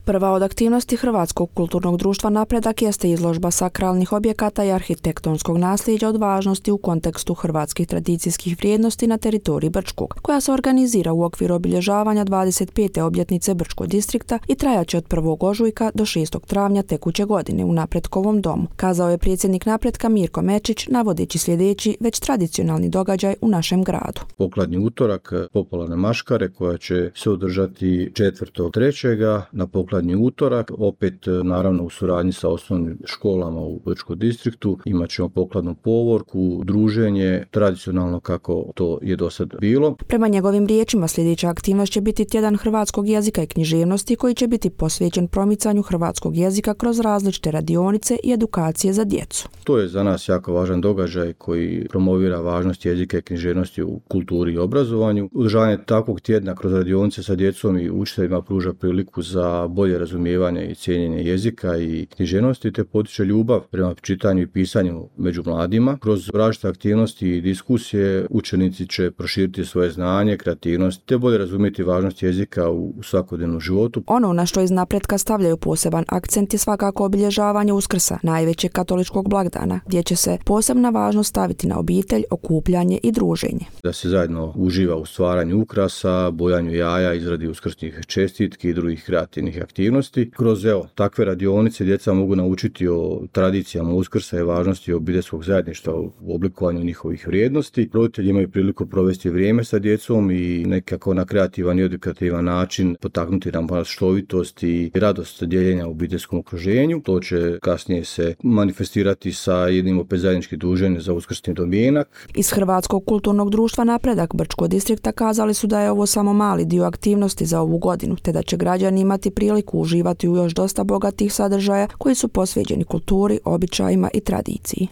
Prva od aktivnosti Hrvatskog kulturnog društva Napredak jeste izložba sakralnih objekata i arhitektonskog nasljeđa od važnosti u kontekstu hrvatskih tradicijskih vrijednosti na teritoriji Brčkog, koja se organizira u okviru obilježavanja 25. obljetnice Brčkog distrikta i trajaće od 1. ožujka do 6. travnja tekuće godine u Napretkovom domu, kazao je predsjednik Napretka Mirko Mečić, navodeći sljedeći već tradicionalni događaj u našem gradu. Pokladni utorak, popularne maškare koja će se održati 4.3. na pokladni utorak, opet naravno u suradnji sa osnovnim školama u Brčkom distriktu. Imat ćemo pokladnu povorku, druženje, tradicionalno kako to je do sad bilo. Prema njegovim riječima sljedeća aktivnost će biti tjedan hrvatskog jezika i književnosti koji će biti posvećen promicanju hrvatskog jezika kroz različite radionice i edukacije za djecu. To je za nas jako važan događaj koji promovira važnost jezika i književnosti u kulturi i obrazovanju. Održavanje takvog tjedna kroz radionice sa djecom i učiteljima pruža priliku za bolje razumijevanje i cijenjenje jezika i književnosti te potiče ljubav prema čitanju i pisanju među mladima. Kroz različite aktivnosti i diskusije učenici će proširiti svoje znanje, kreativnost te bolje razumjeti važnost jezika u svakodnevnom životu. Ono na što iz Napretka stavljaju poseban akcent je svakako obilježavanje Uskrsa, najvećeg katoličkog blagdana, gdje će se posebna važnost staviti na obitelj, okupljanje i druženje. Da se zajedno uživa u stvaranju ukrasa, bojanju jaja, izradi uskrsnih čestitki i drugih kreativnih aktivnosti. Kroz takve radionice djeca mogu naučiti o tradicijama Uskrsa i važnosti obiteljskog zajedništva u oblikovanju njihovih vrijednosti. Roditelji imaju priliku provesti vrijeme sa djecom i nekako na kreativan i edukativan način potaknuti nam maštovitost i radost dijeljenja u obiteljskom okruženju. To će kasnije se manifestirati sa jednim opet zajedničkim druženjem za uskrsni domjenak. Iz Hrvatskog kulturnog društva Napredak Brčkog distrikta kazali su da je ovo samo mali dio aktivnosti za ovu godinu, te da će građani imati priliku uživati u još dosta bogatih sadržaja koji su posvećeni kulturi, običajima i tradiciji.